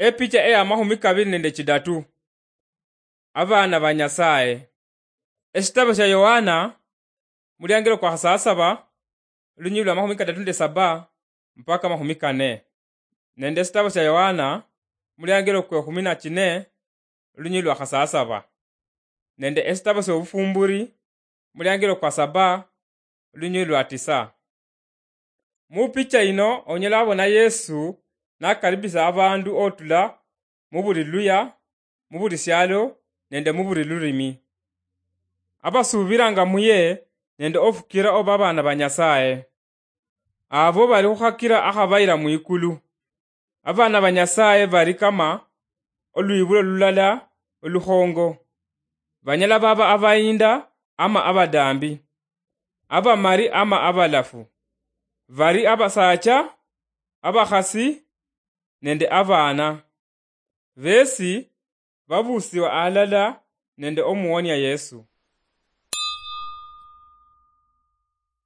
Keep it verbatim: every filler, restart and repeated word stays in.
Epicha eya mahumi kabili nende chidatu. Abana ba Nyasaye. Esitabo sya Yohana, muliangilo kwa khasasaba, lunyili lwa mahumi kadatu nende saba mpaka mahumi kane. Nende esitabo sya Yohana, muliangilo kwe khumi na chine, lunyili lwa khasasaba. Nende esitabo sya Obufumburi, muliangilo kwa saba, lunyili lwa tisa. Mu picha yino onyala wabona Yesu nakaribisa abandu otula mu buli luya, mu buli syalo, nende mu buli lulimi. Abasuubiranga muye nende ofukira oba abaana ba Nyasaye. Abo bali khukhakira akhabayira mwikulu. Abaana ba Nyasaye bali kama olwibulo lulala olukhongo. Banyala baba abayinda ama abadambi, abamali ama abalafu. Bali abasacha, abakhasi, nende abaana. Besi babusiwa alala nende omuwonia Yesu.